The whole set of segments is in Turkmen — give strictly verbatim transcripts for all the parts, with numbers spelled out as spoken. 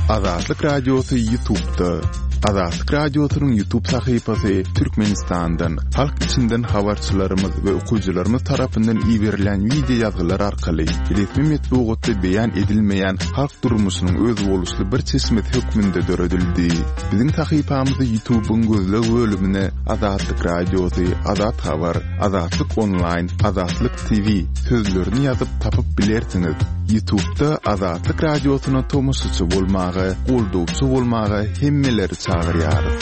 Azatlyk Radiosy YouTube'da. Azatlyk Radiosynyň YouTube sahypasy Türkmenistandan, halk içinden habarçylarymyz we okyjylarymyz tarapyndan iberilen wideo ýazgylar arkaly resmi metbugatda beýan edilmeýän halk durmuşynyň özboluşly bir çeşmesi hökmünde döredildi. Biziň sahypamyzy YouTube'yň gözleg bölümine Azatlyk Radiosy, Azat Habar, Azatlyk Online, Azatlyk T V sözlerini ýazyp tapyp bilersiňiz. YouTube'da Azatlyk Radiosyna tomaşaçy bolmaga, goldawçy bolmaga hemmeleri çagyrýarys.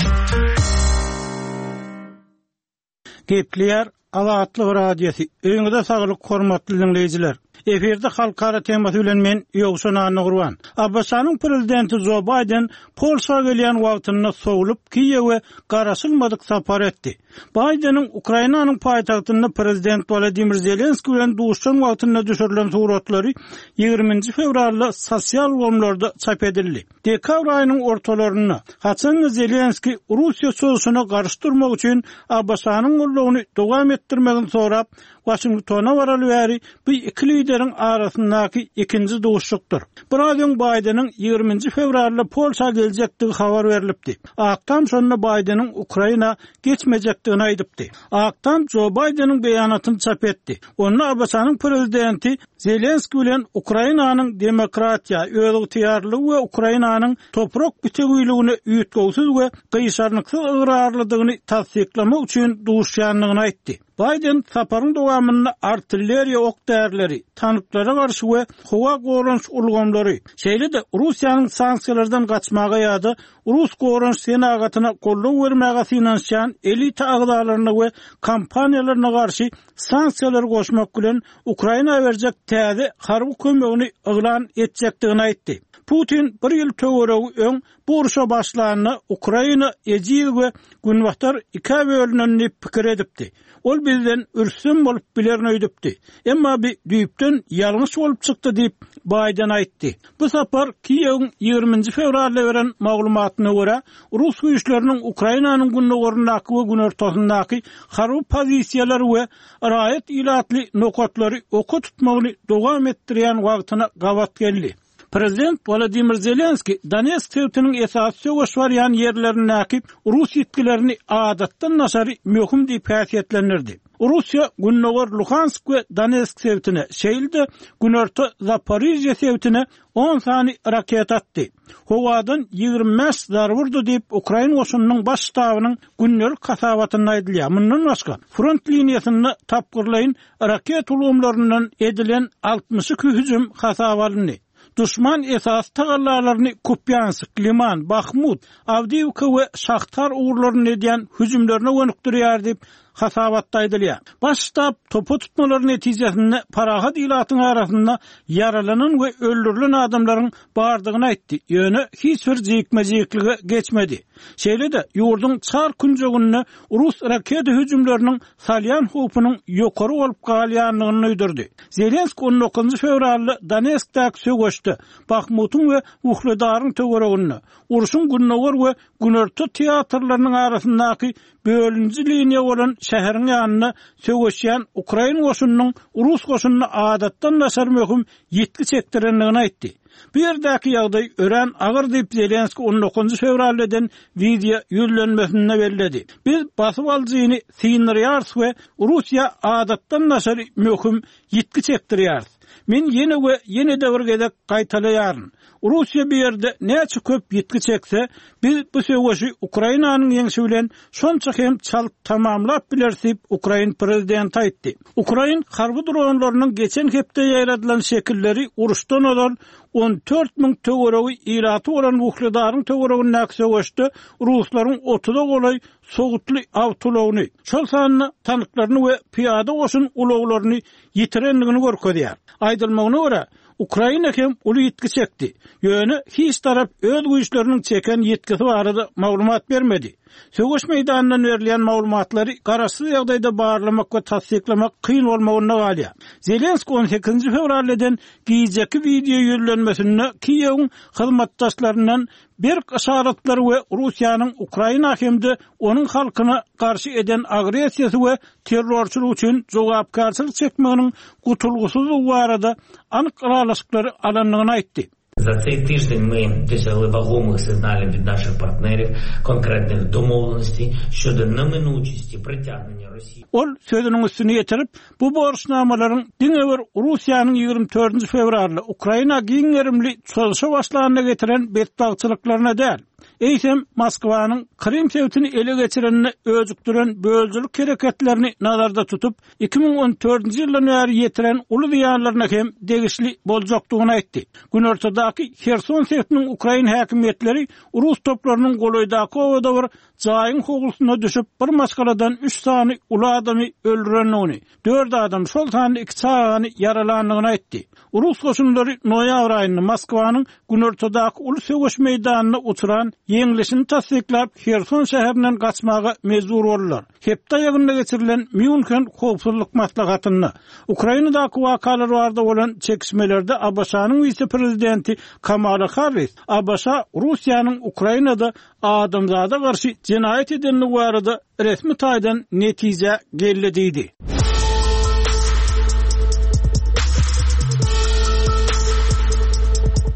Gepleýär Azatlyk Radiosy. Öýüňize saglyk, hormatly dinleýjiler. Efirde halkara temasy bilen men Ýowşan Annagurban. A B Ş-nyň prezidenti Jo Bayden Polşa gelýän wagtynda sowlup Kiýewe garaşylmadyk sapar etdi. Baydeniň Ukrainanyň paýtagtynda prezident Wladimir Zelenski bilen duşan wagtynda düşürilen suratlary ýigriminji fewralda sosial ulgamlarda çap edildi. Dekabr aýynyň ortalarynda haçan Zelenski Russiýa çozuşyna garşy durmak üçin A B Ş-nyň goldawyny dowam etdirmegini sorap Washingtona baraly bäri bu iki lideriň arasyndaky ikinji duşuşykdyr. Biraz öň Baydeniň ýigriminji fewralda Polşa geljekdigi habar berilipdi. Ak Tam şonda Baydeniň Ukraina geçmejekdigini aýdypdy. Ak Tam Jo Baydeniň beýanatyny çap etdi. Onda A B Ş-nyň prezidenti Zelenski bilen Ukrainanyň demokratiýa, özygtyýarlygy we Ukrainanyň toprak bitewiligine üýtgewsiz we gyşarnyksyz ygrarlydygyny tassyklamak üçin duşýandygyny aýtdy. Biden saparyň dowamynda artilleriýa ok därileri, tanklara garşy we howa goranyş ulgamlary, şeýle-de Russiýanyň sanksiýalardan gaçmaga ýa-da Rus goranyş senagatyna goldaw bermäge synanyşýan elita agzalaryna we kompaniýalaryna garşy sanksiýalary goşmak bilen Ukraina berjek täze harby kömegini yglan etjekdigini aýtdy. Putin bir ýyl töweregi öň bu urşa başlanda Ukraina ejiz we günbatar ikä bölünenini pikir edipdi. Ol bizden üstün bolup bilerin öýdüpdi. Emma bir düýpden ýalňyş bolup çykdy diýip Biden aýtdy. Bu sapar Kiýewiň ýigriminji fewralda beren maglumatyna görä, Rus güýçleriniň Ukrainanyň gündogaryndaky we günortasyndaky harby pozisiýalary we raýat ilatly nokatlary oka tutmagyny dowam etdirýän wagtyna gabat geldi. Prezident Wladimir Zelenski Donetsk sebitiniň esasy söweş barýan ýerlerindäki Rus ýitgilerini adatdan daşary möhüm diýip häsiýetlendirdi. Russiýa Gündogar Luhansk we Donetsk sebitine, şeýle-de Günorta Zaporizhye sebitine on sany raket atdy. Howadan ýigrimi bäş zarba urdy diýip Ukrain goşunynyň baş ştabynyň gündelik hasabatynda aýdylýar. Mundan başga front liniýasynda tapgyrlaýyn raket ulgamlaryndan edilen altmyş iki hüjüm hasaba alyndy. Düşman esas tagallalaryny Kupyansk, Liman, Bahmut, Avdiivka we Şahtar ugurlaryny edýän hüjümlerine gönükdirýär diýip hasabatda aýdylýar. Baş ştab topa tutmalary netijesinde parahat ilatyň arasynda ýaralanan we öldürilen adamlaryň bardygyny aýtdy. Ýöne hiç bir jikme-jiklige geçmedi. Şeýle-de ýurduň çar künjeginde Rus raketa hüjümleriniň salýan howpunyň ýokary bolup galýandygyny duýdurdy. Zelenski on dokuzynjy fewralda Donetskdäki söweşde Bahmutyň we Uhledaryň töwereginde urşuň gündogar we günorta teatrlarynyň arasyndaky bölünji liniýa bolan şäheriň ýanynda söweşýän Ukrain goşunynyň Rus goşunyna adatdan daşary möhüm ýitgi çekdirendigini aýtdy. Bu ýerdäki ýagdaý örän agyr diýip Zelenski on dokuzynjy fewralda eden wideo ýüzlenmesinde belledi. Biz basyp alyjyny synyrýarys we Russiýa adatdan daşary möhüm ýitgi çekdirýäris. Men ýene we ýene de bir gezek gaýtalaýaryn. Russiýa bir ýerde näçe köp ýitgi çekse, biz bu söweşi Ukrainanyň ýeňşi bilen şonça hem çalt tamamlap bileris diýip Ukrain prezidenti aýtdy. Ukrain harby dronlarynyň geçen hepde ýaýradylan şekilleri uruşdan ozal on dört müň töweregi ilaty bolan Wuhledaryň töweregindäki söweşde Ruslaryň otuza golaý sowutly awtoulagyny, şol sanda tanklaryny we pyýada goşun ulaglaryny ýitirendigini görkezýär. Aýdylmagyna görä, Ukraina hem uly ýitgi çekdi. Ýöne hiç tarap öz güýçleriniň çeken ýitgisi barada maglumat bermedi. Söweş meýdanyndan berilýän maglumatlary garaşsyz ýagdaýda barlamak we tassyklamak kyn bolmagynda galýar. Zelenski on sekizinji fewralda eden gijeki wideo ýüzlenmesinde Kiýewiň hyzmatdaşlaryndan berk yşaratlary we Russiýanyň Ukraina hem-de onuň halkyna garşy eden agressiýasy we terrorçylyk üçin jogapkärçilik çekmeginiň gutulgysyzlygy barada anyk ylalaşyklary alandygyny aýtdy. Za цей тиждень ми досягли вагомих сигналів від наших партнерів, конкретних домовленостей щодо неминучості притягнення Росії. Ol sözüniň üstüni ýetirip, bu borçnamalaryň diňe bir Russiýanyň ýigrimi dördünji fewralda Ukraina giň gerimli çozuşa başlanyna getiren betbagtçylyklaryna däl, eýsem Moskwanyň Krym sebitini ele geçirenine öjükdiren bölüjilik hereketlerini nazarda tutup, iki müň on dördünji ýyldan bäri ýetiren uly zyýanlaryna hem degişli boljakdygyny aýtdy. Günortadaky Herson sebitiniň Ukrain häkimiýetleri Rus toplarynyň golaýdaky owada bir jaýyň howlusyna düşüp bir maşgaladan üç sany uly adamy öldürendigini, dört adam şol sany iki çagany ýaralandygyny aýtdy. Rus goşunlary noýabr aýynda Moskwanyň günortadaky uly söweş meýdanyna uçuran ýeňlişini tassyklap Herson şäherinden gaçmaga mejbur boldular. Hepde ýagynda geçirilen Mýunhen howpsuzlyk maslahatynda Ukrainadaky wakalar barada bolan çekişmelerde A B Ş-nyň wise-prezidenti Kamala Harris A B Ş Russiýanyň Ukrainada adamzada garşy jenaýat edenligi barada resmi taýdan netije geldi diýdi.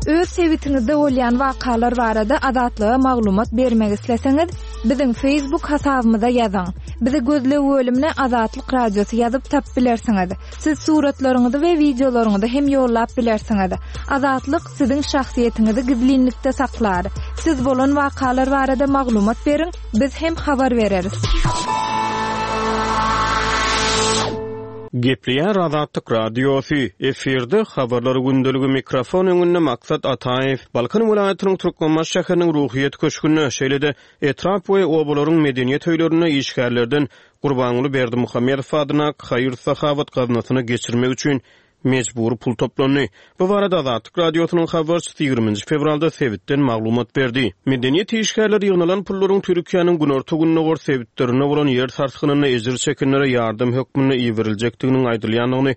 Öz sebitiňizde bolýan wakalar barada Azatlyga maglumat bermek isleseňiz, biziň Facebook hasabymyza ýazyň. Bizi gözleg bölümine Azatlyk Radiosy ýazyp tap bilersiňiz. Siz suratlaryňyzy we wideolaryňyzy hem ýollap bilersiňiz. Azatlyk siziň şahsyýetiňizi gizlinlikde saklar. Siz bolan wakalar barada maglumat beriň, biz hem habar bereris. Gepleýär Azatlyk Radiosy, efirde habarlar gündeligi mikrofon öňünde Maksat Ataýew, Balkan welaýatynyň Türkmenbaşy şäheriniň Ruhyýet köşgünde, şeýle-de etrap we obalaryň medeniýet öýlerinde işgärlerden Gurbanguly Berdimuhamedow adyna haýyr-sahawat gaznasyna geçirmek üçin mejbur pul toplandy. Bu barada Azatlyk Radiosynyň habarçysy ýigriminji fewralda sebitden maglumat berdi. Medeniýet işgärleri ýygnalan pullaryň Türkiýäniň günorta-gündogar sebitlerinde bolan ýer sarsgynynda ejir çekenlere ýardam hökmünde iberiljekdiginiň aýdylýandygyny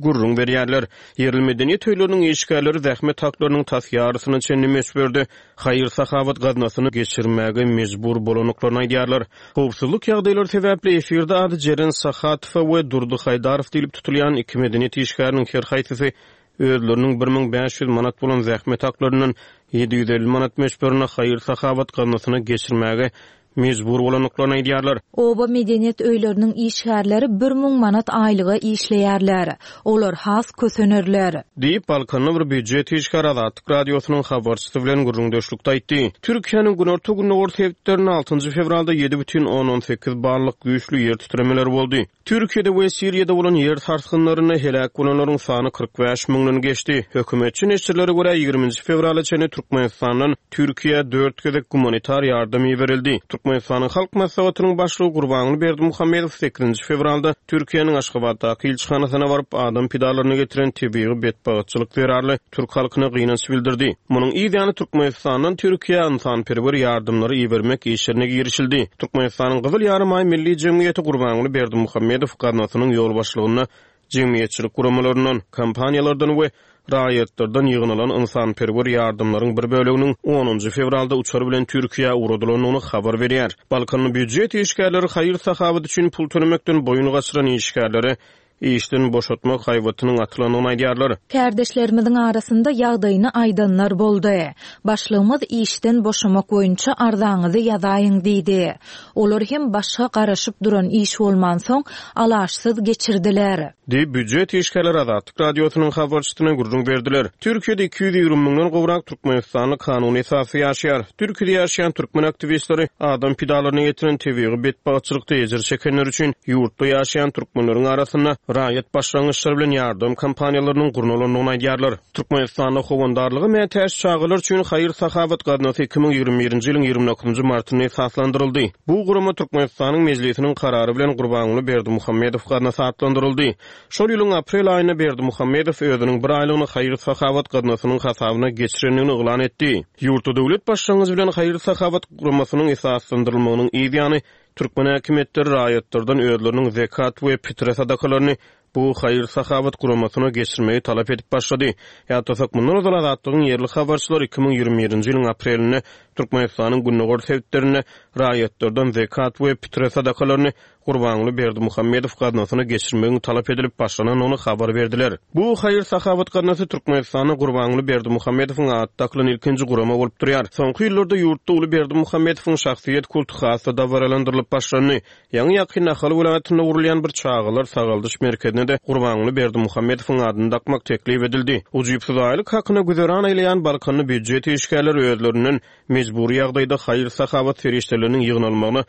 gürrüň berýärler. Ýerli medeniýet öýleriniň işgärleri zähmet haklarynyň tas ýarysyna çenli möçberde haýyr-sahawat gaznasyny geçirmäge mejbur bolandyklaryny aýdýarlar. Howpsuzlyk ýagdaýlary sebäpli efirde ady Jeren Sahatowa we Durdy Haýdarow diýlip tutulýan iki medeniýet işgäriniň her haýsysy özleriniň bir müň bäş ýüz manat bolan zähmet haklaryndan ýedi ýüz elli manat möçberine haýyr-sahawat gaznasyna geçirmäge mejbur bolandyklaryny aýdýarlar. Oba medeniýet öýleriniň işgärleri bir müň manat aýlyga işleýärler. Olar has kösenerler. Diýip Balkanly bir býujet işgäri Azatlyk Radiosynyň habarçysy bilen gürrüňdeşlikde aýtdy. Türkiýäniň günorta-gündogar sebitlerinde altynjy fewralda ýedi bütin ondan sekiz ballyk güýçli ýer titremeleri boldy. Türkiýede we Siriýada bolan ýer sarsgynlarynda heläk bolanlaryň sany kyrk bäş müňden geçdi. Hökümetçi neşirlere görä ýigriminji fewrala çenli Türkmenistandan Türkiýä dört gezek gumanitar ýardam iberildi. Türkmenistanyň Halk Maslahatynyň başlygy Gurbanguly Berdimuhamedow sekizinji fewralda Türkiýäniň Aşgabatdaky ilçihanasyna baryp adam pidalaryny getiren tebigy betbagtçylyk zerarly türk halkyna gynanç bildirdi. Munuň yz ýany Türkmenistandan Türkiýä ynsanperwer ýardamlary ibermek işlerine girişildi. Türkmenistanyň Gyzyl Ýarymaý Milli Jemgyýeti Gurbanguly Berdimuhamedow gaznasynyň ýolbaşçylygynda jemgyýetçilik guramalaryndan, kompaniýalardan we raýatlardan ýygnalan ynsanperwer ýardamlaryň bir böleginiň onunjy fewralda uçar bilen Türkiýä ugradylandygyny habar berýär. Balkanly býujet işgärleri haýyr-sahawat üçin pul tölemekden boýun gaçyran işgärlere işden boşatmak haýbatynyň atylandygyny aýdýarlar. Kärdeşlerimiziň arasynda ýagdaýyny aýdanlar boldy. Başlygymyz işden boşamak boýunça arzaňyzy ýazaýyň diýdi. Olar hem başga garaşyp duran iş bolmansoň alaşsyz geçirdiler. Diýip býujet işgärleri Azatlyk Radiosynyň habarçysyna gürrüň berdiler. Türkiýede iki ýüz ýigrimi müňden gowrak Türkmenistanly kanuny esasy ýaşaýar. Türkiýede ýaşaýan türkmen aktiwistleri adam pidalaryna getiren tebigy betbagtçylykda ejir çekenler üçin ýurtda ýaşaýan türkmenleriň arasynda raýat başlangyçlary bilen ýardam kompaniýalarynyň gurnalandygyny aýdýarlar. Türkmenistanda howandarlyga mätäç çagalar üçin haýyr-sahawat gaznasy iki müň ýigrimi birinji ýylyň ýigrimi dokuzynjy martynda esaslandyryldy. Bu gurama Türkmenistanyň Mejlisiniň karary bilen Gurbanguly Berdimuhamedow gaznasy atlandyryldy. Şol ýylyň aprel aýynda Berdimuhamedow özüniň bir aýlygyny haýyr-sahawat gaznasynyň hasabyna geçirendigini yglan etdi. Ýurtda döwlet başlangyjy bilen haýyr-sahawat guramasynyň esaslandyrylmagynyň yz ýany türkmen häkimiýetleri raýatlardan özleriniň zekat we pitre sadakalaryny bu haýyr-sahawat guramasyna geçirmegi talap edip başlady. Ýatlasak, mundan ozal Azatlygyň ýerli habarçylary iki müň ýigrimi birinji ýylyň aprelinde Türkmenistanyň gündogar sebitlerinde raýatlardan zekat we pitre sadakalaryny Gurbanguly Berdimuhamedow gaznasyna geçirmegiň talap edilip başlanandygyny habar berdiler. Bu haýyr-sahawat gaznasy Türkmenistanda Gurbanguly Berdimuhamedowyň ady dakylan ilkinji gurama bolup durýar. Soňky ýyllarda ýurtda uly Berdimuhamedowyň şahsyýet kulty has-da dabaralandyrylyp başlandy. Ýaňy ýakyn Ahal welaýatynda gurulýan bir çagalar sagaldyş merkezine-de Gurbanguly Berdimuhamedowyň adyny dakmak teklip edildi. Ujypsyz aýlyk hakyna güzeran eýleýän Balkanly býujet işgärleri özlerinden mejbury ýagdaýda haýyr-sahawat serişdeleriniň ýygnalmagyna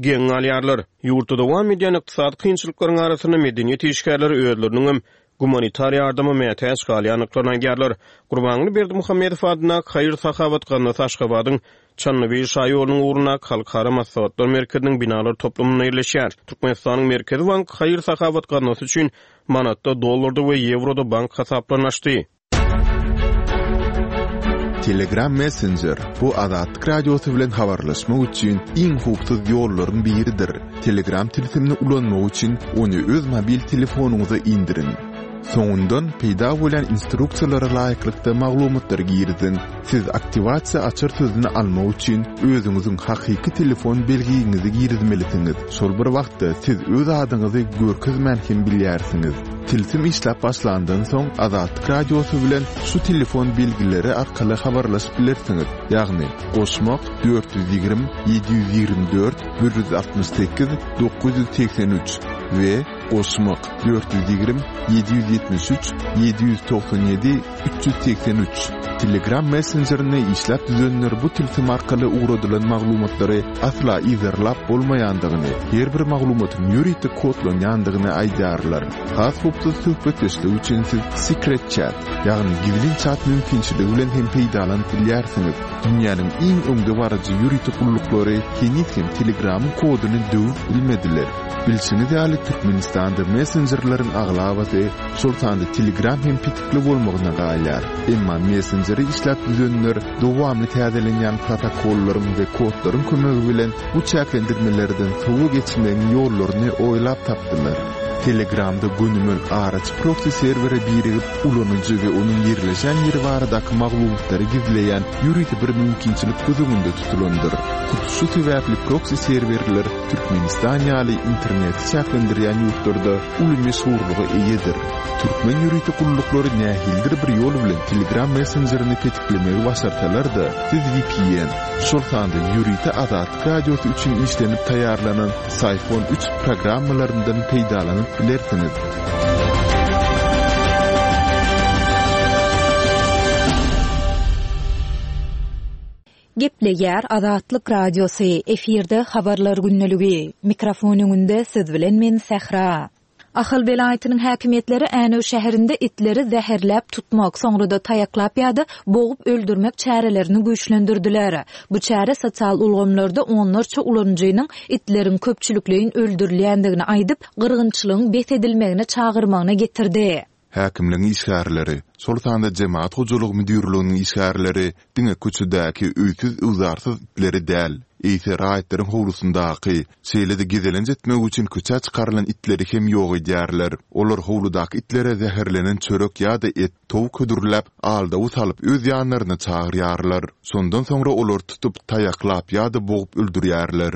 geň galýarlar. Ýurtda dowam edýän ykdysady kynçylyklaryň arasynda medeniýet işgärleri özleriniň hem gumanitar ýardyma mätäç galýandyklaryny aýdýarlar. Gurbanguly Berdimuhamedow adyndaky haýyr-sahawat gaznasy Aşgabadyň Çandybil şaýolunyň ugrundaky Halkara maslahatlar merkeziniň binalar toplumynda ýerleşýär. Türkmenistanyň Merkezi banky haýyr-sahawat gaznasy üçin manatda, dollarda we ýewroda bank hasaplaryny açdy. Telegram Messenger bu Azatlyk Radiosy bilen habarlaşmak üçin iň howpsuz ýollaryň biridir. Telegram tilsimini ulanmak üçin ony öz mobil telefonyňyza indiriň. Soňundan peýda bolan instruksiýalara laýyklykda maglumatlary giriziň. Siz aktiwasiýa açar sözüni almak üçin özüňiziň hakyky telefon belgiňizi girizmelisiňiz. Şol bir wagtda siz öz adyňyzy görkezmän hem bilýärsiňiz. Tilsim işläp başlandan soň Azatlyk Radiosy bilen şu telefon belgileri arkaly habarlaşyp bilersiňiz. Ýagny goşmak dört ýüz ýigrimi ýedi ýüz ýigrimi dört bir ýüz altmyş sekiz dokuz ýüz segsen üç we goşmak dört ýüz ýigrimi ýedi ýüz ýetmiş üç ýedi ýüz togsan ýedi üç ýüz segsen üç. Telegram messenjerini işläp düzenler bu tilsim arkaly ugradylan maglumatlary asla yzarlap bolmaýandygyny, her bir maglumatyň ýörite kodlanýandygyny aýdýarlar. Has howpsuz söhbetdeşlik üçin siz Secret Chat, ýagny gizlin chat mümkinçiligi bilen hem peýdalanyp bilýärsiňiz. Dünýäniň iň öňdebaryjy ýörite gulluklary heniz hem Telegramyň koduny döwüp bilmediler. Bilşiňiz ýaly Türkmenistanda messenjerleriň aglabasy, şol sanda Telegram hem petikli bolmagyna galýar. Emma messenjeri işläp düzenler dowamly täzelenýän protokollaryň we kodlaryň kömegi bilen bu çäklendirmelerden sowa geçmegiň ýollaryny oýlap tapdylar. Telegramda gönümel araçy proxy serwere birigip ulanyjy we onuň ýerleşen ýeri baradaky maglumatlary gizleýän ýörite bir mümkinçilik göz öňünde tutulandyr. Hut şu sebäpli proxy serwerler Türkmenistan ýaly interneti çäklendirýän ýurtlarda uly meşhurlyga eýedir. Türkmen ýörite gulluklary nähilidir bir ýol bilen Telegram messenjerini petiklemegi başarsalar-da, siz V P N, şol sanda ýörite Azatlyk Radiosy üçin işlenip taýýarlanan Syphon üç programmalaryndan peýdalanyp bilersiňiz. Gepleýär Azatlyk Radiosy, efirde habarlar gündeligi. Mikrofon öňünde siz bilen men Sähra. Ahal welaýatynyň häkimiýetleri Änew şäherinde itleri zäherläp tutmak, soňra da taýaklap ýa-da bogup öldürmek çärelerini güýçlendirdiler. Bu çäre sosial ulgamlarda onlarça ulanyjynyň itleriň köpçülikleýin öldürilýändigini aýdyp, gyrgynçylygyň bes edilmegine çagyrmagyna getirdi. Häkimligiň işgärleri, şol sanda Jemaat hojalygy müdirliginiň işgärleri diňe köçedäki öýsüz-öwzarsyz itleri däl, eýse raýatlaryň howlusyndaky, şeýle-de gezelenç etmek üçin köçä çykarylan itleri hem ýok edýärler. Olar howludaky itlere zäherlenen çörek ýa-da et, towuk hödürläp, aldawy salyp öz ýanlaryna çagyrýarlar. Şondan soňra olar tutup, taýaklap ýa-da bogup öldürýärler.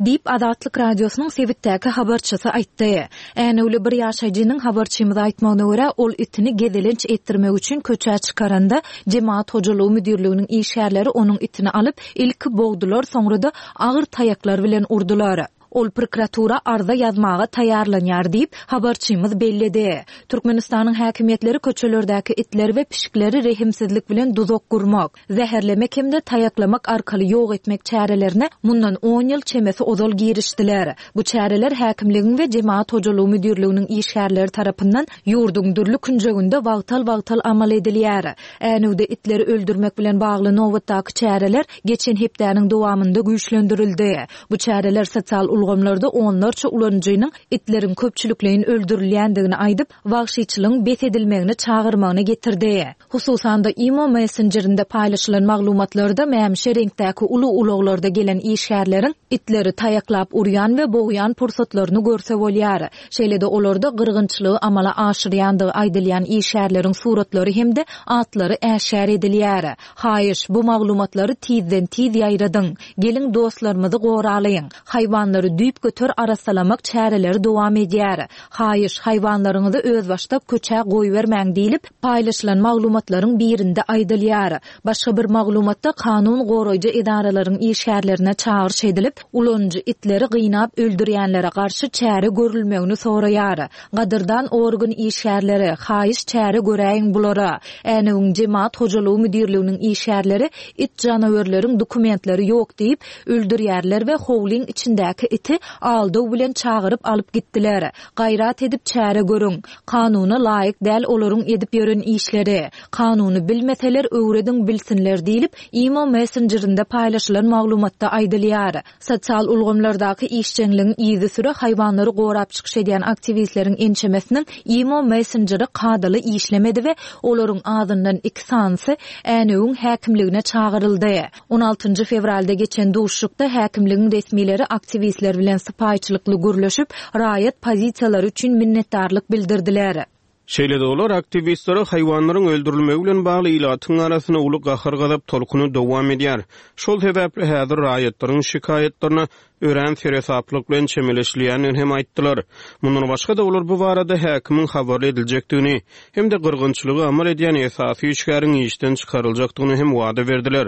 Diýip Azatlyk Radiosynyň sebitdäki habarçysy aýtdy. Änewli bir ýaşaýjynyň habarçymyza aýtmagyna görä, ol itini gezelenç etdirmek üçin köçä çykaranda Jemaat hojalygy müdirliginiň işgärleri onuň itini alyp, ilki bogdular, soňra da agyr taýaklar bilen urdular. Ol prokuratura arza ýazmaga taýýarlanýar diýip habarçymyz belledi. Türkmenistanyň häkimiýetleri köçelerdäki itler we pişikleri rehimsizlik bilen duzak gurmak, zäherlemek hem-de taýaklamak arkaly ýok etmek çärelerine mundan on ýyl çemesi ozal girişdiler. Bu çäreler häkimligiň we Jemaat hojalygy müdirliginiň işgärleri tarapyndan ýurduň dürli künjeginde wagtal-wagtal amal edilýär. Änewde itleri öldürmek bilen bagly nobatdaky çäreler geçen hepdäniň dowamynda güýçlendirildi. Bu çäreler sosial ulgamlarda onlarça ulanyjynyň itleriň köpçülikleýin öldürilýändigini aýdyp, wagşyçylygyň bes edilmegine çagyrmagyna getirdi. Hususan-da Imo Messengerinde paýlaşylan maglumatlarda mämişe reňkdäki uly ulaglarda gelen işgärleriň itleri taýaklap urýan we bogýan pursatlaryny görse bolýar. Şeýle-de olarda gyrgynçylygy amala aşyrýandygy aýdylýan işgärleriň suratlary hem-de atlary äşgär edilýär. Haýyş, bu maglumatlary tizden tiz ýaýradyň. Geliň dostlarymyzy goralyň. Haýwanlary düýpgöter arassalamak çäreleri dowam edýär. Haýyş, haýwanlaryňyzy özbaşdak köçä goýbermäň diýlip, paýlaşylan maglumatlaryň birinde aýdylýar. Başga bir maglumatda kanun goraýjy edaralaryň işgärlerine çagyryş edilip, ulanyjy itleri gynap öldürýänlere garşy çäre görülmegini soraýar. Gadyrdan organ işgärleri, haýyş çäre göräýiň bulara. Änewiň Jemaat hojalygy müdirliginiň işgärleri it janawerleriň dokumentleri ýok diýip öldürýärler we howlyň içindäki iti aldaw bilen çagyryp alyp gitdiler. Gaýrat edip çäre görüň. Kanuna laýyk däl olaryň edip ýören işleri. Kanuny bilmeseler öwrediň bilsinler diýlip Imo Messengerinde paýlaşylan maglumatda aýdylýar. Sosial ulgamlardaky işjeňligiň yzysüre haýwanlary gorap çykyş edýän aktiwistleriň ençemesiniň Imo Messengeri kadaly işlemedi we olaryň azyndan iki sanysy Änewiň häkimligine çagyryldy. On altynjy fewralda geçen duşuşykda häkimligiň resmileri aktiwistler bilen sypaýyçylykly gürleşip, raýat pozisiýalary üçin minnetdarlyk bildirdiler. Şeýle-de olar aktiwistlere haýwanlaryň öldürilmegi bilen bagly ilatyň arasynda uly gahar-gazap tolkuny dowam edýär. Şol sebäpli häzir raýatlaryň şikaýatlaryna örän seresaplyk bilen çemeleşilýändigini hem aýtdylar. Mundan başga-da olar bu barada häkimiň habarly ediljekdigini hem-de gyrgynçylygy amal edýän esasy işgäriň işden çykaryljakdygyny hem wada berdiler.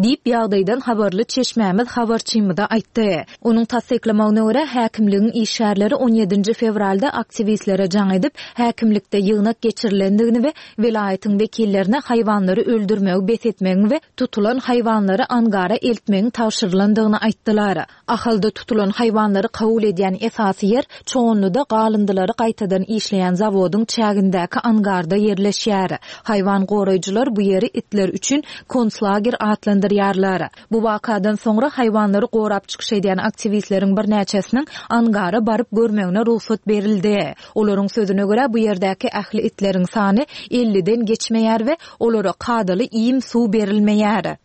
Diýip ýagdaýdan habarly çeşmämiz habarçymyza aýtdy. Onuň tassyklamagyna görä häkimligiň işgärleri on ýedinji fewralda aktiwistlere jaň edip, häkimlikde ýygnak geçirilendigini we welaýatyň wekillerine haýwanlary öldürmegi bes etmegiň we tutulan haýwanlary angara eltmegiň tabşyrylandygyny aýtdylar. Ahalda tutulan haýwanlary kabul edýän esasy ýer Çoganlyda galyndylary gaýtadan işleýän zawodyň çägindäki angarda ýerleşýär. Haýwan goraýjylar bu ýeri itler üçin konslager atlandyrýarlar. Bu wakadan soňra haýwanlary gorap çykyş edýän aktiwistleriň birnäçesiniň angara baryp görmegine rugsat berildi. Olaryň sözüne görä bu ýerdäki ähli itleriň sany elliden geçmeýär we olara kadaly iým suw berilmeýär.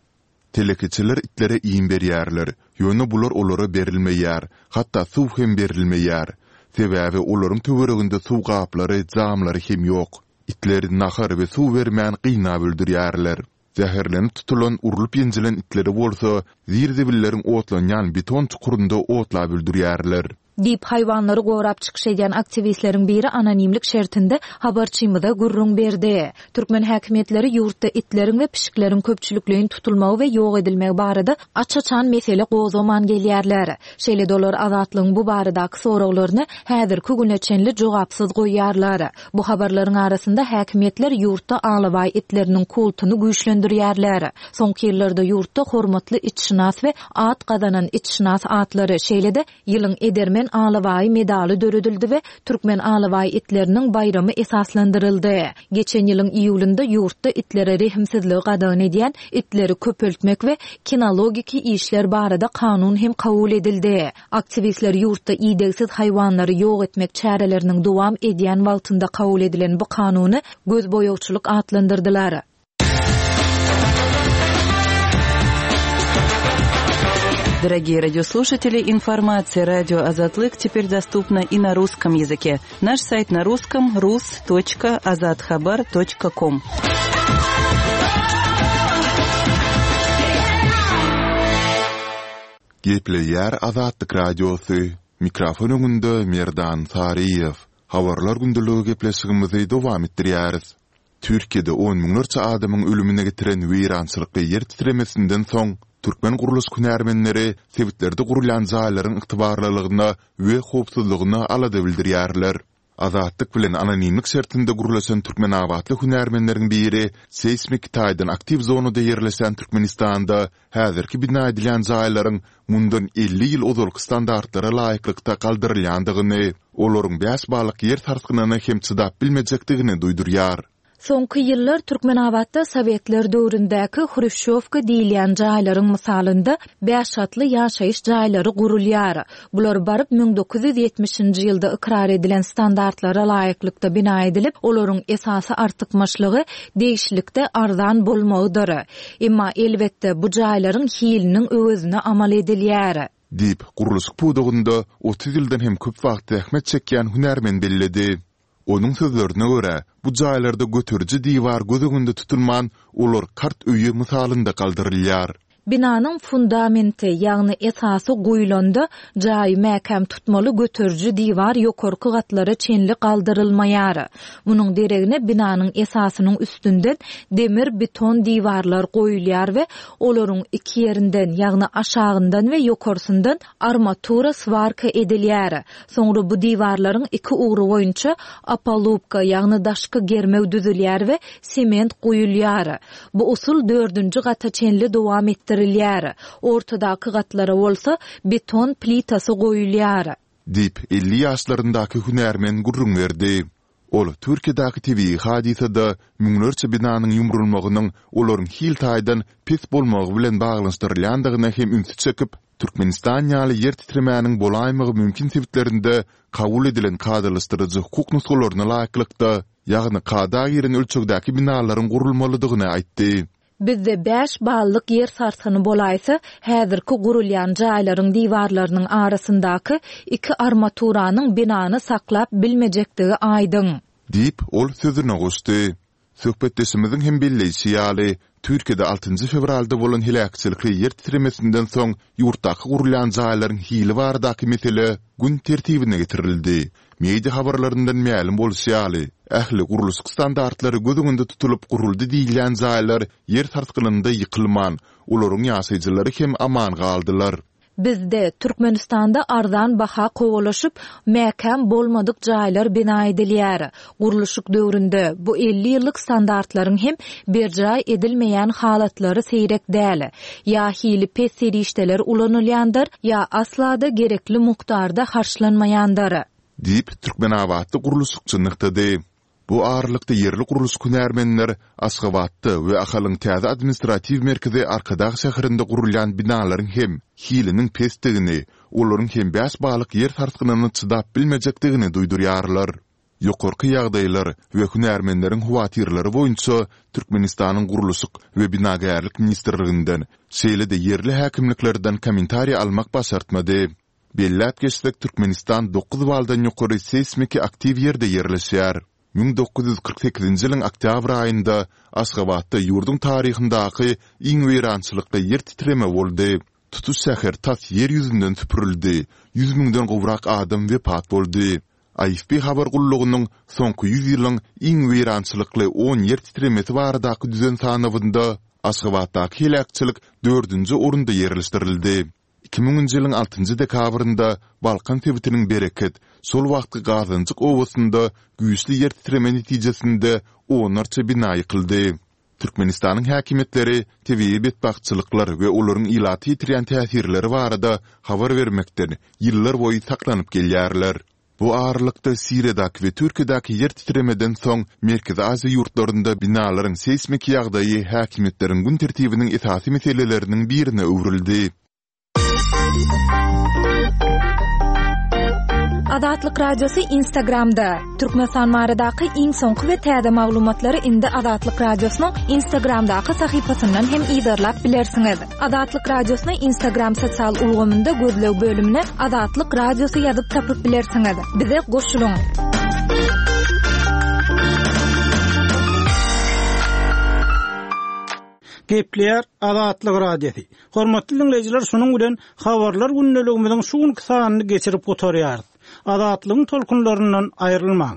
Telekeçiler itlere iým berýärler, ýöne bular olara berilmeýär, hatda suw hem berilmeýär. Sebäbi olaryň töwereginde suw gaplary, jamlary hem ýok. Itleri nahar we suw bermän gynap öldürýärler. Zäherlenip tutulan, urlup ýenjilen itleri bolsa zir-zibilleriň otlanýan beton çukurynda otlap öldürýärler. Diýip haýwanlary gorap çykyş edýän aktiwistleriň biri anonimlik şertinde habarçymyza gürrüň berdi. Türkmen häkimiýetleri ýurtda itleriň we pişikleriň köpçülikleýin tutulmagy we ýok edilmegi barada aç-açan mesele gozgaman gelýärler. Şeýle-de olar Azatlygyň bu baradaky soraglaryny häzirki güne çenli jogapsyz goýýarlar. Bu habarlaryň arasynda häkimiýetler ýurtda alabaý itleriniň kultuny güýçlendirýärler. Soňky ýyllarda ýurtda hormatly itşynas we at gazanan itşynas atlary, şeýle-de ýylyň edermen alabaý medaly döredildi we Türkmen alabaý itleriniň baýramy esaslandyryldy. Geçen ýylyň iýulynda ýurtda itlere rehimsizligi gadagan edýän itleri köpeltmek we kinologiki işler barada kanun hem kabul edildi. Aktiwistler ýurtda idegsiz haýwanlary ýok etmek çäreleriniň dowam edýän wagtynda kabul edilen bu kanuny gözboýagçylyk atlandyrdylar. Дорогие радиослушатели, информация радио Азатлык теперь доступна и на русском языке. Наш сайт на русском рус точка азатхабар точка ком. Gepleýär Azatlyk radiosy. Mikrofon öňünde Merdan Saryýew. Habarlar gündeligi gepleşigimizi dowam etdirýäris. Türkiýede on müňlerçe adamyň ölümine getiren weýrançylykly ýer titremesinden soň türkmen gurluşyk hünärmenleri sebitlerde gurulýan jaýlaryň ygtybarlylygyna we howpsuzlygyna alada bildirýärler. Azatlyk bilen anonimlik şertinde gurlaşan Türkmenabatly hünärmenleriň biri seýsmik taýdan aktiw zonada ýerleşen Türkmenistanda häzirki bina edilýän jaýlaryň mundan elli ýyl ozalky standartlara laýyklykda galdyrylýandygyny, olaryň bäş ballyk ýer sarsgynyna hem çydap bilmejekdigini duýdurýar. Soňky ýyllar Türkmenabatda Sowetler döwründäki Hruşýowka diýilýän jaýlaryň mysalynda bäş gatly ýaşaýyş jaýlary gurulýar. Bular baryp müň dokuz ýüz ýetmişinji ýylda ykrar edilen standartlara laýyklykda bina edilip, olaryň esasy artykmaçlygy degişlilikde arzan bolmagydyr. Emma elbetde bu jaýlaryň hiliniň öwezine amal edilýär. Diýip, gurluşyk pudagynda otuz ýyldan hem köp wagt zähmet çekýän hünärmen belledi. Onuň sözlerine görä, bu jaýlarda göteriji diwar göz öňünde tutulman, olar kart öýi mysalynda galdyrylýar. Binanyň fundamenti, ýagny esasy guýulanda jaýy mäkäm tutmaly göteriji diwar ýokarky gatlara çenli galdyrylmaýar. Munuň deregine binanyň esasynyň üstünden demir beton diwarlar goýulýar we olaryň iki ýerinden, ýagny aşagyndan we ýokarsyndan armatura swarka edilýär. Soňra bu diwarlaryň iki ugry boýunça opalubka, ýagny daşky germew düzülýär we sement guýulýar. Bu usul dördünji gata çenli dowam etdirilýär. Ortadaky gatlara bolsa beton plitasy goýulýar. Diýip, elli ýaşlaryndaky hünärmen gürrüň berdi. Ol Türkiýedäki tebigy hadysada müňlerçe binanyň ýumrulmagynyň olaryň hil taýdan pes bolmagy bilen baglanyşdyrylýandygyna hem ünsi çekip, Türkmenistan ýaly ýer titremäniň bolaýmagy mümkin sebitlerinde kabul edilen kadalaşdyryjy hukuk nusgalaryna laýyklykda, ýagny kada giren ölçegdäki binalaryň gurulmalydygyny aýtdy. Bizde bäş ballyk ýer sarsgyny bolaýsa, häzirki gurulýan jaýlaryň diwarlarynyň arasyndaky iki armaturanyň binany saklap bilmejekdigi aýdyň. Diýip, ol sözüne goşdy. Söhbetdeşimiziň hem belleýşi ýaly, Türkiýede altynjy fewralda bolan heläkçilikli ýer titremesinden soň ýurtdaky gurulýan jaýlaryň hili baradaky mesele gün tertibine getirildi. Media habarlaryndan mälim bolşy ýaly, ähli gurluşyk standartlary göz öňünde tutulyp guruldy diýilýän jaýlar ýer sarsgynynda ýykylman, olaryň ýaşaýjylary hem aman galdylar. Bizde Türkmenistanda arzan baha kowalaşyp, mäkäm bolmadyk jaýlar bina edilýär. Gurluşyk döwründe bu elli ýyllyk standartlaryň hem berjaý edilmeýän halatlary seýrek däl. Ýa hili pes serişdeler ulanylýandyr, ýa asla-da gerekli mukdarda harçlanmaýandyr. Diýip, Türkmenabatda gurluşykçy nygtady. Bu aralykda ýerli gurluşyk hünärmenler Aşgabatda we Ahalyň täze administratiw merkezi Arkadag şäherinde gurulýan binalaryň hem hiliniň pesdigini, olaryň hem bäş ballyk ýer sarsgynyna çydap bilmejekdigini duýdurýarlar. Ýokarky ýagdaýlar we hünärmenleriň howatyrlary boýunça Türkmenistanyň Gurluşyk we binagärlik ministrliginden, şeýle-de ýerli häkimliklerden kommentariý almak başartmady. Belläp geçsek, Türkmenistan dokuz baldan ýokary seýsmiki aktiw ýerde ýerleşýär. Müň dokuz ýüz kyrk sekizinji ýylyň oktýabr aýynda Aşgabatda ýurduň taryhyndaky iň weýrançylykly ýer titreme boldy. Tutuş şäher tas ýer ýüzünden süpürildi, ýüz müňden gowrak adam wepat boldy. A F P habar gullugynyň soňky ýüz ýylyň iň weýrançylykly on ýer titremesi baradaky düzen sanawynda Aşgabatdaky heläkçilik dördünji orunda ýerleşdirildi. Iki müňünji ýylyň altynjy dekabrynda Balkan sebitiniň Bereket, şol wagtky Gazanjyk obasynda güýçli ýer titreme netijesinde onlarça bina ýykyldy. Türkmenistanyň häkimiýetleri tebigy betbagtçylyklar we olaryň ilata ýetirýän täsirleri barada habar bermekden ýyllar boýy saklanyp gelýärler. Bu aralykda Siriýadaky we Türkiýedäki ýer titremeden soň Merkezi Aziýa ýurtlarynda binalaryň seýsmiki ýagdaýy häkimiýetleriň gün tertibiniň esasy meseleleriniň birine öwrüldi. Azatlyk Radiosy Instagramda. Türkmenistan baradaky iň soňky we täze maglumatlary indi Azatlyk Radiosynyň Instagramdaky sahypasyndan hem yzarlap bilersiňiz. Azatlyk Radiosyny Instagram sosial ulgamynda gözleg bölümine Azatlyk Radiosy ýazyp tapyp bilersiňiz. Bize goşulyň. Gepleýär Azatlyk Radiosy. Hormatly dinleýjiler, şunuň bilen habarlar gündeligimiziň şu günki sanyny geçirip gutarýarys. Azatlygyň tolkunlaryndan aýrylmaň.